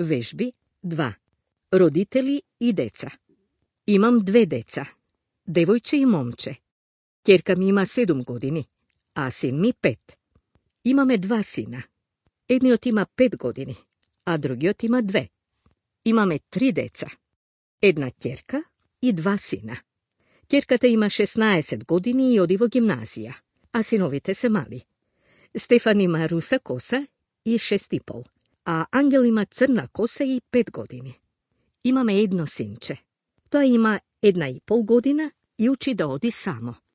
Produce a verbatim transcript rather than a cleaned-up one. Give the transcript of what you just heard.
Вежби два. Родители и деца. Имам две деца, девојче и момче. Ќерка ми има седум години, а син ми пет. Имаме два сина. Едниот има пет години, а другиот има две. Имаме три деца. Една ќерка и два сина. Ќерката има шеснаесет години и оди во гимназија, а синовите се мали. Стефан има руса коса и шест и пол, а Ангел има црна коса и пет години. Имаме едно синче. Тоа има една и пол година и учи да оди само.